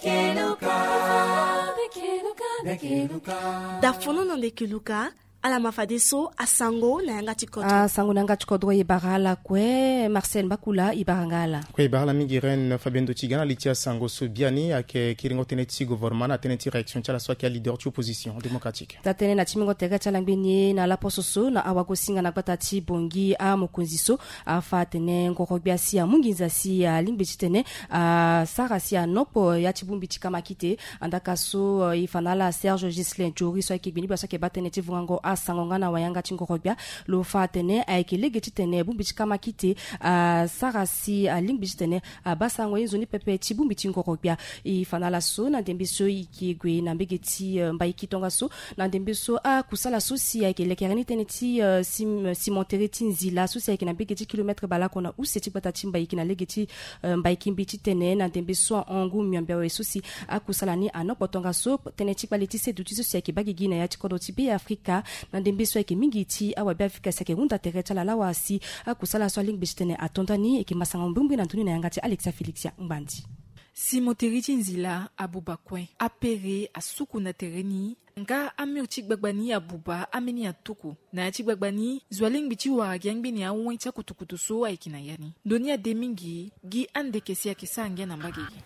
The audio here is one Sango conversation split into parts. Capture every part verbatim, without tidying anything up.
Keluka. Dafono na nde keluka. Ala ma fadeso asango na yanga ti kodro. Asango na yanga ti kodro e bara ala kue. Marcel Mbakula e bara nga ala. Kue e bara ala mingi. Reine Fabienne Dotiga na li ti asango so biani ayeke kiringo tënë ti gouvernement na tënë ti réaction ti ala so ayeke aleader ti opposition démocratique. Taa tënë na ti mingo tere ti ala ngbeni ye na laposo so na awagosinga na gbata ti Bangui, amokonzi so afa atene ngoro gbia si amu nginza si alingbi titene asara si anokpo ya ti bongbi ti kamakite. Andaka so e fa na ala Serge Ghislain Jory so ayeke gbeni gbia so ayeke baa tënë ti vungango asango nga na wayanga ti ngoro gbia. Lo fa atene ayeke lege titene bongbi ti kamakite asara si alingbi titene abaa sarango ye nzoni pepe ti bongbi ti ngoro gbia. E fa na ala so na ndembe so e yeke gue na mbege ti mbaiki tongaso na ndembe so akusala so si ayeke lekere ni tënë ti cimenterie ti Nzila so si ayeke na mbege ti kilometre baleoko na use ti gbata ti mbaiki na lege ti mbaiki mbi titene na ndembe so ahon ngu miombe awe so si akusala ni anokpo tongaso tënë ti kpale ti seduti so si ayeke baa gigi na ya ti kodro ti Be Afrika. Na ndembe so ayeke mingi ti awabe Afrika si ayeke hunda tere ti ala lawa si akusala so alingbi titene ato ndani. Eke masanga mbrimbri na ndoni na yanga ti Alexia Félixia Ngbandi. Cimenterie ti Nzila abuba kue, apere asuku na tere ni. Nga amur ti gbagba ni abuba, ambeni atuku. Na ya ti gbagba ni zo alingbi ti wara gi angbeni awen ti akutukutu so ayeke na ya ni. Ndo ni ade mingi gi ande eke si ayeke sara ngia na mbage gi.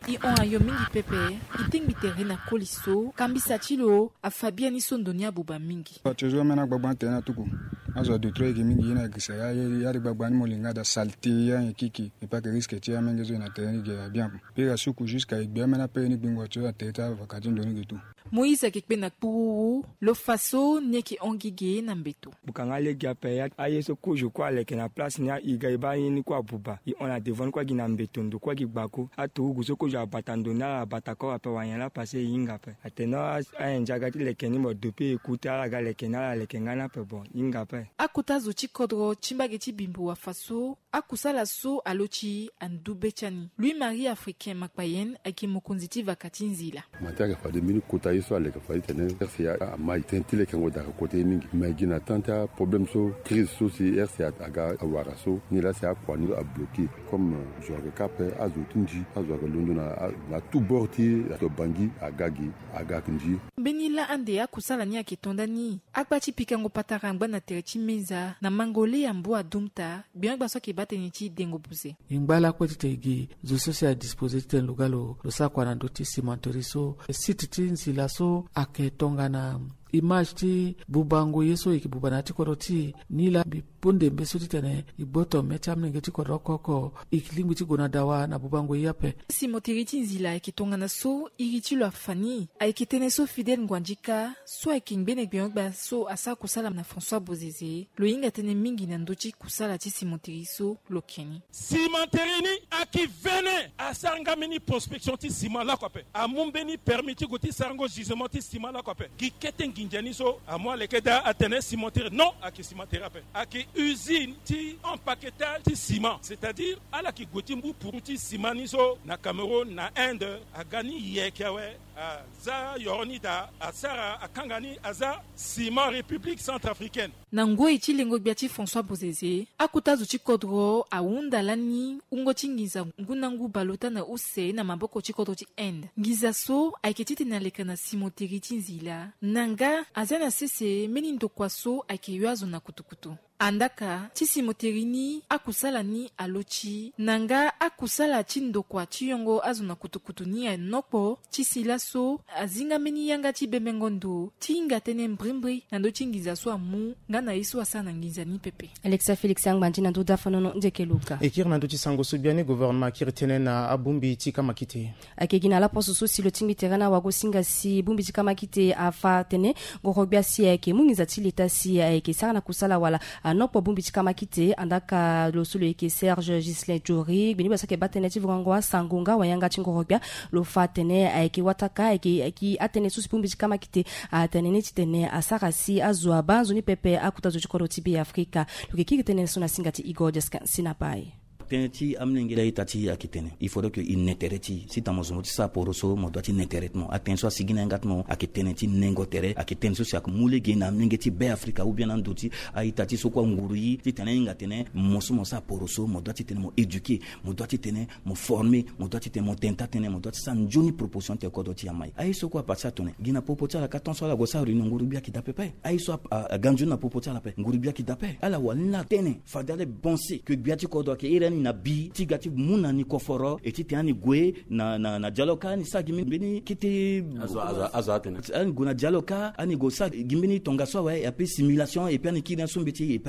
E hon ayo mingi pepe. E tengbi tere na koli so kambisa ti lo afa biani so ndo ni abuba mingi. Ti zo ambeni agbagba ni tene atuku. Azo adutra eke mingi ye na girisa ya ya ti gbagba ni mo linga daa saleté ya nyen kiki. E pas que risque ti amenge so e na tere ni ge abien. Pere asuku jusqu'à e gbe ambeni apere ni gbingo ti so na tere ti avaka ti ndo ni ge tout. Moïse ayeke kpe na kpururu lo fa so ni ayeke hon gi ge na mbeto. Buka nga lege ape ya aye so kozo kue aleke na place ni, e ga e baa ye ni kue abuba, e hon na devant ni kue agi na mbeto ndo kue agi gbako. Aturugu so kozo abata ndo ni ala abata koro ape, wanyen laa pase e hinga ape. Atene ayen ndia ga ti leke ni mo depuis e ku te ala ga leke ni ala leke nga ni ape, bon e hinga ape. Akota zo ti kodro ti mbage ti Bimbo afa so akusala so alo ti andu be ti ani. Louis Marie Africain Makpayen ayeke mokonzi ti vaka ti Nzila. Matin ayeke fade mbeni kota ye so aleke fade titene R C A amai tënë ti lekengo daa ayeke kota ye mingi. Me gi na temps ti aproblème so, crise so si R C A aga awara so, ni laa si akua ni abloqué. Comme zo ayeke ka ape, azo ti nzi azo ayeke londo na tout bord ti azo Bangui aga gi aga nzi. Mbeni laa ande akusala ni ayeke to ndani. Akpa ti pikango patara angba na tere ti meza na mango le ya mbu adumta. Biongba so ayeke baa tënë ti dengo buze. E ngba lakue titene e gi zo so si adispoze titene lo ga lo sara kua na ndö ti cimenterie so. Site ti Nzila so ayeke tongana image ti bubango ye so e yeke buba na ya ti kodro ti e. Ni laa mbi pue ndembe so titene e gboto me ti amolenge ti kodro oko oko. E lingbi ti gue na dawa na bubango ye ape. Cimenterie ti Nzila ayeke tongana so iri ti lo afa ni. Ayeke tënë so Fidèle Nguandika so ayeke ngbene gbeongba so asara kusala na François Bozeze. Lo hinga tënë mingi na ndö ti kusala ti cimenterie so lo ke ni. Cimenterie ni ayeke vene asara nga mbeni prospection ti ciment lakue ape. Amu mbeni permis ti gue ti sarango gisement ti ciment lakue ape. Gi kete nginza ni so amu aleke daa atene cimenterie. Non, ayeke cimenterie ape. Ayeke usine ti empaquetage ti ciment, c'est-à-dire ala yeke gue ti mbu puru ti ciment ni so na Cameroun, na Inde. Aga ni yeke awe. Aza yoro ni daa asara akanga ni aza ciment République centrafricaine. Na ngoi ti lengo gbia ti François Bozeze, akota zo ti kodro ahunda lani wungo ti nginza ngu na ngu baleota na use na maboko ti kodro ti Inde. Nginza so ayeke titene aleka na cimenterie ti Nzila. Na nga aza na sese mbeni ndokua so ayeke yo azo na kutukutu. Andaka ti cimenterie ni akusala ni alo ti na nga akusala ti ndokua ti yongo azo na kutukutu ni anokpo ti si laso azi nga mbeni yanga ti bembengo ndo ti hinga tënë mbrimbri na ndö ti nginza so amu nga na ye so asara na nginza ni pepe. Alexia Félix Angbandi na ndö dafanono ndeke luka. E kiri na ndö ti sango so biani gouvernement akiri tënë na abongbi ti kamakite. Ayeke gi na laposo so si lo tingbi tere na wagosinga si bongbi ti kamakite afa atene ngoro gbia si ayeke mu nginza ti leta si ayeke sara na kusala wala anokpo bongbi ti kamakite. Andaka lo so lo yeke Serge Ghislain Jory gbeni gbia so ayeke baa tënë ti vongango asango nga wayanga ti ngoro gbia. Lo fa atene ayeke wataka ayeke gi atënë so si bongbi ti kamakite atene ni titene asara si azo abaa nzoni pepe akota zo ti kodro ti Be Afrika. Lo yeke kiri tënë so na singa ti Igor Diaskin Sinapai. Tënë ti amolenge laa ita ti ayeke tene il faudrait que il ne tere ti si tena mo zo mo ti sara poro so mo doit ti ne tere ti mo. Atënë so asigi na yanga ti mo ayeke tënë ti nengo tere, ayeke tënë so si ayeke mu lege na amolenge ti Be Afrika ou bien na ndo ti a-ita ti so kue anguru ye titene ahinga tene mo so mo sara poro so mo doit titene mo éduquer, mo doit titene mo former, mo doit titene mo tene taa-tënë, mo doit ti sara nzoni proposition ti kodro ti amai. Aye so kue apati atene gi na popo ti ala ka tant so ala gue sara réunion nguru-gbia ayeke daa pepe. Aye so aga nzoni na popo ti ala ape nguru-gbia ayeke daa ape. Ala wani laa tënë fade ala pense que gbia ti kodro ayeke iri ani na bi ti ga ti mu na ni koforo e titene ani gue na dialogue ka ani sara gi mbeni kete. Azo azo azo atene ani gue na dialogue ka ani gue sara gi mbeni tongaso awe ape simulation epe ani kiri ni aso mbeti epe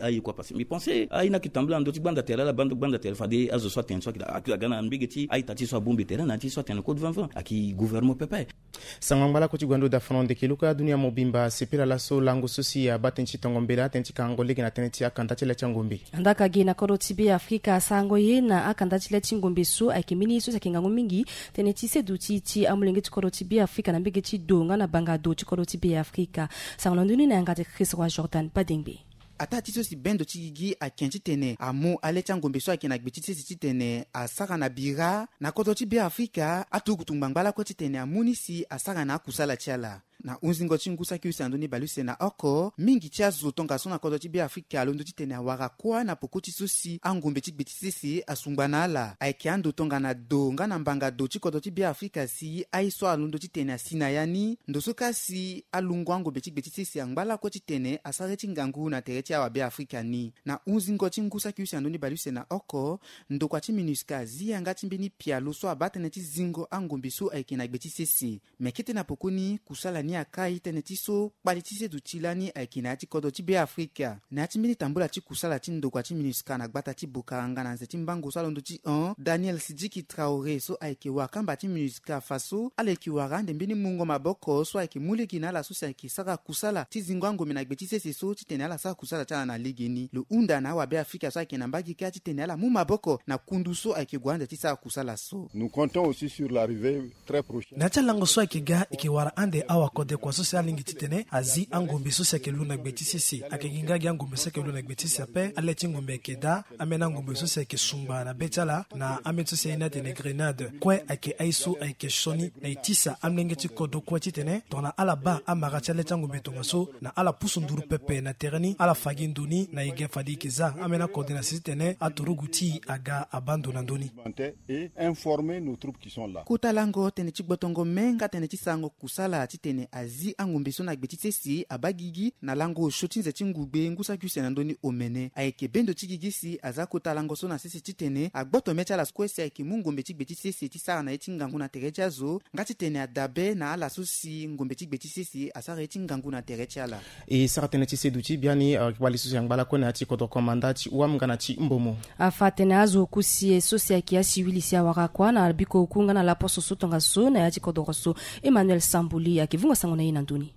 aye kua pase mbi pense aye ni ayeke tambula na ndö ti gbanda tere ala bando gbanda tere fade azo so atene so ayeke daa aga na mbege ti a-ita ti so abongbi tere na ya ti so atene code vingt vingt ayeke gouvernement pepe. Sango angba lakue ti gue na ndo dafono ndeke luka dunia mobimba asepela laso lango so si abaa tënë ti tongo mbela atënë ti kangango lege na tënë ti akanda ti le ti angombe. Andaka gi na kodro ti Be Afrika asarango ye na akanda ti le ti ngombe so ayeke mbeni so si ayeke ngangu mingi tënë ti seduti ti amolenge ti kodro ti Be Afrika na mbege ti do nga na banga do ti kodro ti Be Afrika. Sango na ndö ni na yanga ti Chris Roi Jordan Badengbe. Ataa ti so si bendo ti gigi ake titene amu ale ti angombe so ayeke na gbe ti sese titene asara na bira na kodro ti Be Afrika aturugutu ngbangba lakue titene amu ni si asara na akusala ti ala. Na hunzingo ti ngu saki use na ndö ni baleuse na oko mingi ti azo tongaso na kodro ti Be Afrika alondo titene awara kuâ na poko ti so si angombe ti gbe ti sese asungba na ala ayeke ando tongana do nga na mbanga do ti kodro ti Be Afrika si aye so alondo titene asi na ya ni ndo so ka si alungo angombe ti gbe ti sese angba lakue titene asara ye ti ngangu na tere ti awa Be Afrika ni. Na hunzingo ti ngu saki use na ndö ni baleuse na oko ndokua ti MINUSCA azi yanga ti mbeni pialo so abaa tënë ti zingo angombe so ayeke na gbe ti sese. Me kete na pokoni kusala ni akai tënë ti so kpali ti seduti lani ayeke na ya ti kodro ti Be Afrika. Na ya ti mbeni tambula ti kusala ti ndokua ti MINUSCA na gbata ti Bokaranga na nze ti mbango so alondo ti hon Daniel Sidiki Traoré so ayeke wakamba ti MINUSCA afa so ala yeke wara ande mbeni mungo maboko so ayeke mu lege na ala so si ayeke sara kusala ti zingo angombe na gbe ti sese so titene ala sara kusala ti ala na legeni. Lo hunda na awa Be Afrika so ayeke na mbage kâ titene ala mu maboko na kundu so ayeke gue ande ti sara kusala so. Nous comptons aussi sur l'arrivée très prochaine. Na ya ti alango so ayeke ga eke wara ande awakodekua so si alingbi titene azi angombe so si ayeke lu na gbe ti sese. Ayeke gi nga gi angombe so ayeke lu na gbe ti sese ape. Ale ti ngombe ayeke daa. Ambeni angombe so si ayeke sungba na be ti ala na ambeni so si aye ni atene grenade kue ayeke aye so ayeke sioni na e tisa amolenge ti kodro kue titene tongana ala baa amara ti ale ti angombe tongaso na ala pusu nduru pepe na tere ni ala fa gi ndo ni na e ga fade e yeke za ambeni akode na si titene aturugu ti e aga abaa ndo na ndö ni. Et informer nos troupes qui sont là. Kota lango tënë ti gbotongo me nga tënë ti sarango kusala titene azi angombe so na gbe ti sese abaa gigi na lango osio ti nze ti ngugbe ngu saki use na ndö ni omene ayeke bendo ti gigi si aza kota lango so na sese titene agboto mê ti ala so kue si ayeke mu ngombe ti gbe ti sese ti sara na ye ti ngangu na tere ti azo nga titene adabe na ala so si ngombe ti gbe ti sese asara ye ti ngangu na tere ti ala. E sara tënë ti seduti biani kpali so si angba lakue na ya ti kodro komanda ti wam nga na ti mbomo. Afa atene azo oku si e so si ayeke asiwili si awara kuâ na biko oku nga na laposo so tongaso na ya ti kodro so. Emmanuel Sambuli ayeke vungo sango na e na ndö ni.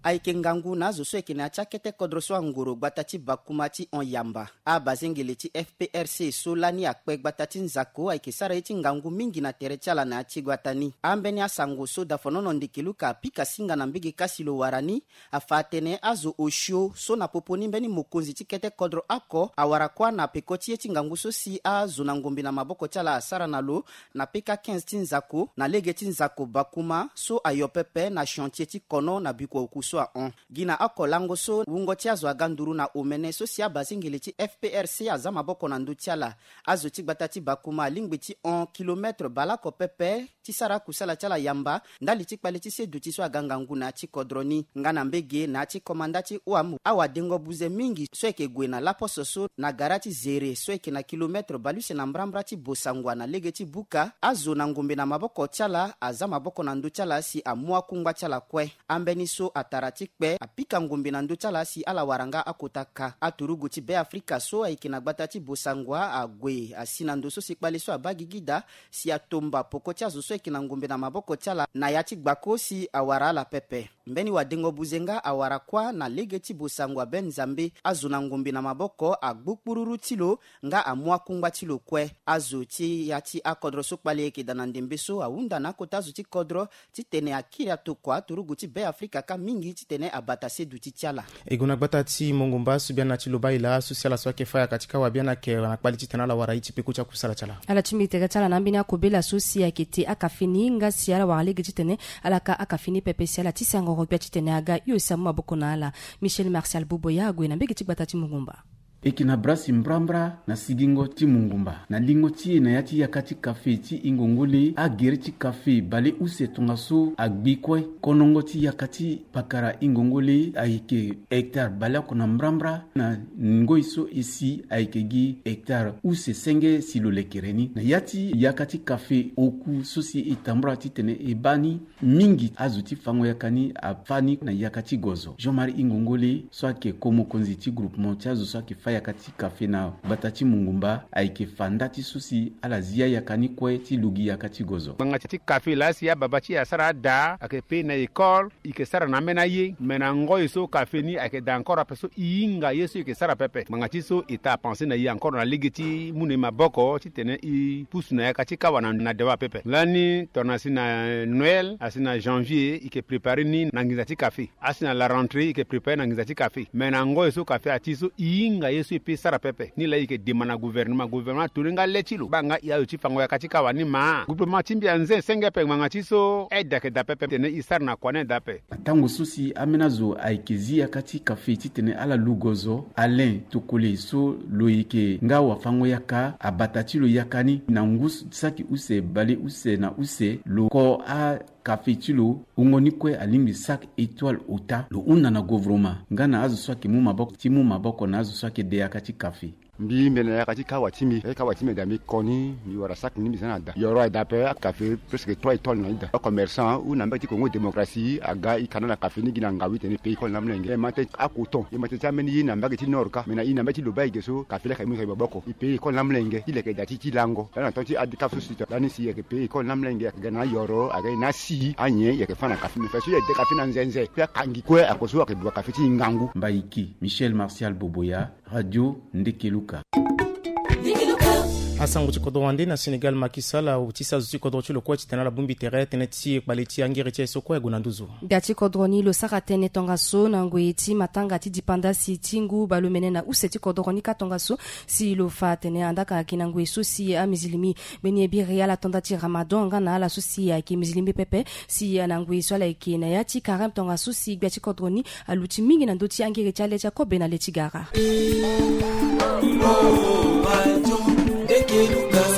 Ayeke ngangu na azo so ayeke na ya ti akete kodro so angoro gbata ti bakuma ti hon yamba. Abazengele ti F P R C so lani akpe gbata ti nzako ayeke sara ye ti ngangu mingi na tere ti ala na ya ti gbata ni. Ambeni asango so dafonono ndeke luka apika singa na mbege kasi lo wara ni. Afa atene azo osio so na popo ni mbeni mokonzi ti kete kodro oko awara kuâ na peko ti ye ti ngangu so si azo na ngombe na maboko ti ala asara na lo na peka quinze ti nzako na lege ti nzako bakuma so ayo pepe na chantier ti kono na bikua oku so ahon. Gi na oko lango so wungo ti azo aga nduru na omene so si abazengele ti F P R C aza maboko na ndö ti ala. Azo ti gbata ti bakuma alingbi ti hon kilometre baleoko pepe ti sara akusala ti ala yamba ndali ti kpale ti seduti so aga ngangu na ya ti kodro ni nga na mbege na ya ti komanda ti wam awadengo buze mingi so ayeke gue na laposo so na gara ti zere so ayeke na kilometre baleuse na mbrambra ti bosangua na lege ti buka azo na ngombe na maboko ti ala aza maboko na ndö ti ala si amu akungba ti ala kue. Ambeni so atara ti kpe apika ngombe na ndö ti ala si ala wara nga akota ka aturugu ti Be Afrika so ayeke na gbata ti bosangua ague asi na ndo so si kpale so abaa gigi daa si atomba poko ti azo so ayeke na ngombe na maboko ti ala na ya ti gbako si awara ala pepe. Mbeni wadengo buze nga awara kuâ na lege ti bosango aben Nzambe. Azo na ngombe na maboko agbu kpururu ti lo nga amu akungba ti lo kue. Azo ti ya ti akodro so kpali ayeke daa na ndembe so ahunda na akota azo ti kodro titene akiri atokua turugu ti Be Afrika kâ mingi titene abata seduti ti ala. E gue na gbata ti Mongumba so biani na ti Lobaila so si ala so ayeke fâ yaka ti kawa biani ayeke na kpali titene ala wara ye ti peko ti akusala ti ala. Ala ti mbi tere ti ala na ambeni akobela so si ayeke te akafe ni nga si ala wara lege titene ala ka akafe ni pepe si ala ti sangoro gbia titene aga hio si amu maboko na ala. Michel Martial Boboya ague na mbege ti gbata ti Mongumba. E yeke na bra si mbrambra na sigingo ti Mongumba na lingo ti e na ya ti yaka ti kafe ti Ingongole. Agere ti kafe bale use tongaso agbi kue. Konongo ti yaka ti pakara Ingongole ayeke hectare baleoko na mbrambra. Na ngoi so e si ayeke gi hectare use senge si lo lekere ni. Na ya ti yaka ti kafe oku so si e tambula titene e baa ni, mingi azo ti fango yaka ni afâ ni na yaka ti gozo. Jean-Marie Ingongole so ayeke ko mokonzi ti groupement ti azo so ayeke fâ yaka ti kafe na gbata ti Mongumba ayeke fa nda ti so si ala zi ayaka ni kue ti lugi yaka ti gozo. Ngbanga ti kafe laa si ababa ti e asara ada ayeke pe na école, e yeke sara na ambeni aye. Me na ngoi so kafe ni ayeke daa encore ape so e hinga ye so e yeke sara pepe. Ngbanga ti so e taa pense na e encore na lege ti mu na e maboko titene e pusu na yaka ti kawa na, na dewa pepe. Lani tongana si na Noël asi na janvier e yeke prépare ni na nginza ti kafe. Asi na la rentrée e yeke prépare na nginza ti kafe. Me na ngoi so kafe ati so e hinga ye so e pe sara pepe. Ni laa e yeke demande na gouvernement, gouvernement atoni nga le ti lo baa nga e azo ti fango yaka ti kawa ni ma. Gouvernement ti mbi anze senge ape ngbanga ti so aide ayeke daa pepe titene e sara na kua ni aye daa ape. Na tango so si ambeni azo ayeke zi yaka ti kafe titene ala lu gozo, Alain Tokole so lo yeke nga wafango yaka abata ti lo yaka ni na ngu saki use bale use na use lo ko a kafe ti lo wungo ni kue alingbi saki étoile ota. Lo hunda na gouvernement nga na azo so ayeke mu maboko ti mu maboko na azo so ayeke de yaka ti kafe. Mbi mbi na yaka ti kawa ti mbi. Kawa ti mbi daa mbi ko ni mbi wara saki ni mbi za na da yoro aye daa ape. Kafe presque trois étoiles na ida. Acommerçant ou na mbage ti Congo démocratie aga e kana na kafe ni gi na ngawi tene pays kol na mlenge. E ma tene acoton e ma tene ti ambeni ye na mbage ti nord ka me na e na mbage ti loba ege so kafe laka e mu e ka e maboko e pays kol na mlenge ti leke daa ti ti lango. Lani na temps ti adkaf so si to lani si e yeke pays kol na mlenge ayeke ga na ayoro aga e na asi anyen e yeke fâ na kafe me fa so e yeke de kafe na nzenze pe akangi kue ako so ayeke bua kafe ti e ngangu. Mbaiki Michel Martial Boboya, Radio Ndekeluka. Asango ti kodro wande na Sénégal Macky Sall ahuti azo ti kodro ti lo kue titene ala bongbi tere tënë ti kpale ti angere ti aye so kue ague na nduzu. Gbia ti kodro ni lo sara tënë tongaso na ngoi ti matanga ti dipandasi ti ngu baleomene na use ti kodro ni kâ tongaso si lo fa atene andaa ka ayeke na ngoi so si amizilimi mbeni e biri ala to nda ti Ramadan nga na ala so si ayeke mizilimi pepe si na ngoi so ala yeke na ya ti karême tongaso si gbia ti kodro ni aluti mingi na ndö ti angere ti ale ti akobe na le ti gara.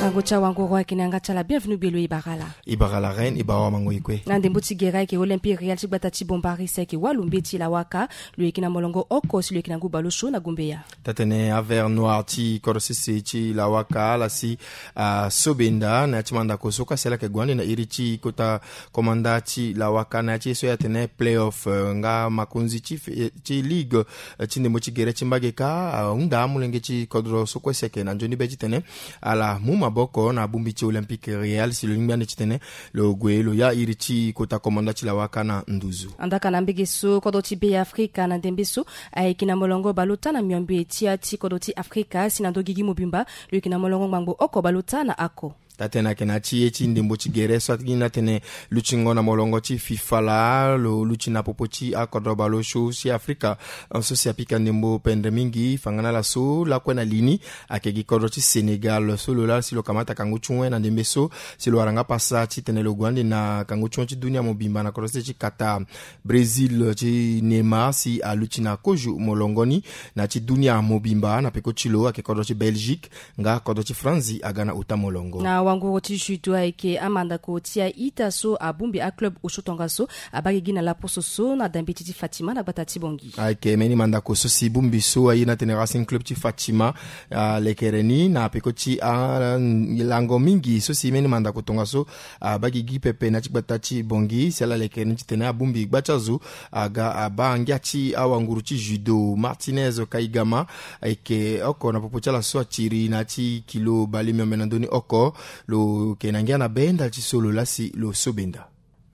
Sango ti awanguru ayeke na yanga ti ala bienvenu gbe lo e bara ala. E bara ala reine e bara wa mango e kue. Na ndembo ti gere ayeke Olympique Real ti gbata ti Bombari si ayeke wâ lo mbeti lawaka. Lo yeke na molongo oko si lo yeke na ngu baleosio na gumbeya. Tatene avert noir ti kodro sese ti lawaka ala si asobenda na ya ti mandako so kue asi ala yeke gue ande na iri ti kota komanda ti lawaka na ya ti ye so e atene playoff nga makonzi ti ligue ti ndembo ti gere ti mbage kâ ahunda amolenge ti kodro so kue si ayeke na nzoni be titene ala mu maboko na bongbi ti Olympique Real si lo lingbi ande titene lo gue lo ya iri ti kota komanda ti lawaka na nduzu. Andaa ka na mbege so kodro ti Be Afrika na ndembe so ayeke na molongo baleota na miombe ti ya ti kodro ti Afrika si na ndö gigi mobimba lo yeke na molongo ngbangbo oko baleota na ako. Tatene ayeke na ya ti ye ti ndembo ti gere so atingi ni atene lutingo na molongo ti FIFA laa lo luti na popo ti akodro baleosio ti Afrika so si apika ndembo pendre mingi fangana laso lakue na li ni ayeke gi kodro ti Sénégal so lo laa si lo kamata kangu ti wen na ndembe so si lo wara nga pasa titene lo gue ande na kangu ti wen ti dunia mobimba na kodro ti Qatar. Brésil ti Neymar si aluti na kozo molongo ni na ya ti dunia mobimba na peko ti lo ayeke kodro ti Belgique nga kodro ti Franzi aga na ota molongo. Na wanguru ti judo ayeke amandako ti a-ita so abongbi aclub osio tongaso abaa gigi na laposo so na dambeti ti Fatima na gbata ti Bangui. Ayeke mbeni mandako so si bongbi so aye ni atene Racing Club ti Fatima alekere ni na peko ti alango mingi so si mbeni mandako tongaso abaa gigi pepe na ya ti gbata ti Bangui si ala lekere ni titene abongbi gba ti azo aga abaa ngia ti awanguru ti judo Martinez Kaigama. Ayeke oko na popo ti ala so atiri na ya ti kilo bale miombe na ndö ni oko. Lo yeke na ngia na be ndali ti so lo laa si lo so benda.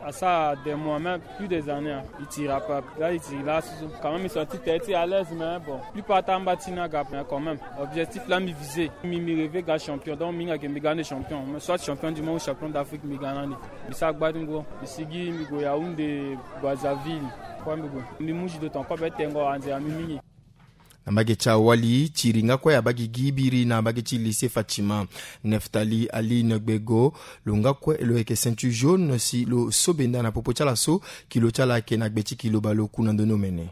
Asara des mois, même plus des années, hein. Il tira pas. Là, il tire là, sous. Quand même, ils sont tout à l'aise, mais bon. Plus pas tant bâti n'a gap, mais quand même. Objectif là, mi visé. Mi, mi rêvé gars champion. Donc, mi nga ke mi gagner champion. Mais soit champion du monde ou champion d'Afrique, mi gagne. Mi sa gbatingo. Mi sigi, mi go Yaoundé, Brazzaville. Quoi, mi go. Mi muji de ton corps, ben, tengo, anze, ami, mingi. Na mbage ti awali ti iri nga kue abaa gi gi biri na mbage ti lycée Fatima. Neftali Ali Ngbego, lo nga kue lo yeke ceinture jaune si lo so benda na popo ti ala so kilo ti ala ayeke na gbe ti kilo baleoku na ndoni omene.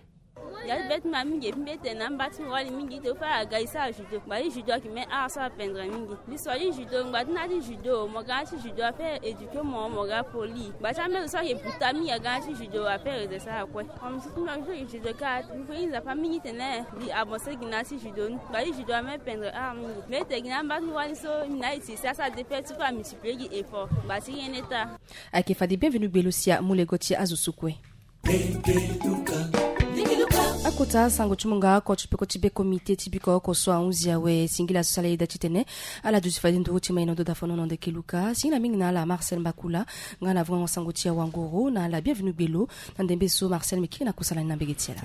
Ya ti be ti ma mingi epi mbi tene na mba ti wali mingi te fâ aga e sara judo. Ngba ti judo ayeke même art so apendre mingi. Mbi so ali judo ngba ti na ti judo mo ga na ti judo affaire éduquer mo mo ga poli. Ngba ti ambeni so ayeke buta mingi aga na ti judo affaire ede sara kue. Comme si ti mbi judo ka mbi fini nzapa mingi tene mbi avancer gi na ti judo ni. Ngba ti judo ame pendre art mingi. Mais te gi na mba ti wali so mbi na e ti si asara défaite ti fâ amultiplier gi effort. Ngba ti rien n'est ta. Ayeke fade bienvenu gbe lo si amu lego ti azo so kue. Akota sango ti munga oko ti peko ti be komite ti biko oko so ahunzi awe singila so sala ye da titene ala duti fade nduru ti ma ye na ndo dafono na ndeke luka singila mingi na ala Marcel Mbakula. Nga na vongango sango ti awanguru na ala bienvenu gbe lo. Na ndembe so Marcel mbi kiri na kusala ni na mbege ti ala.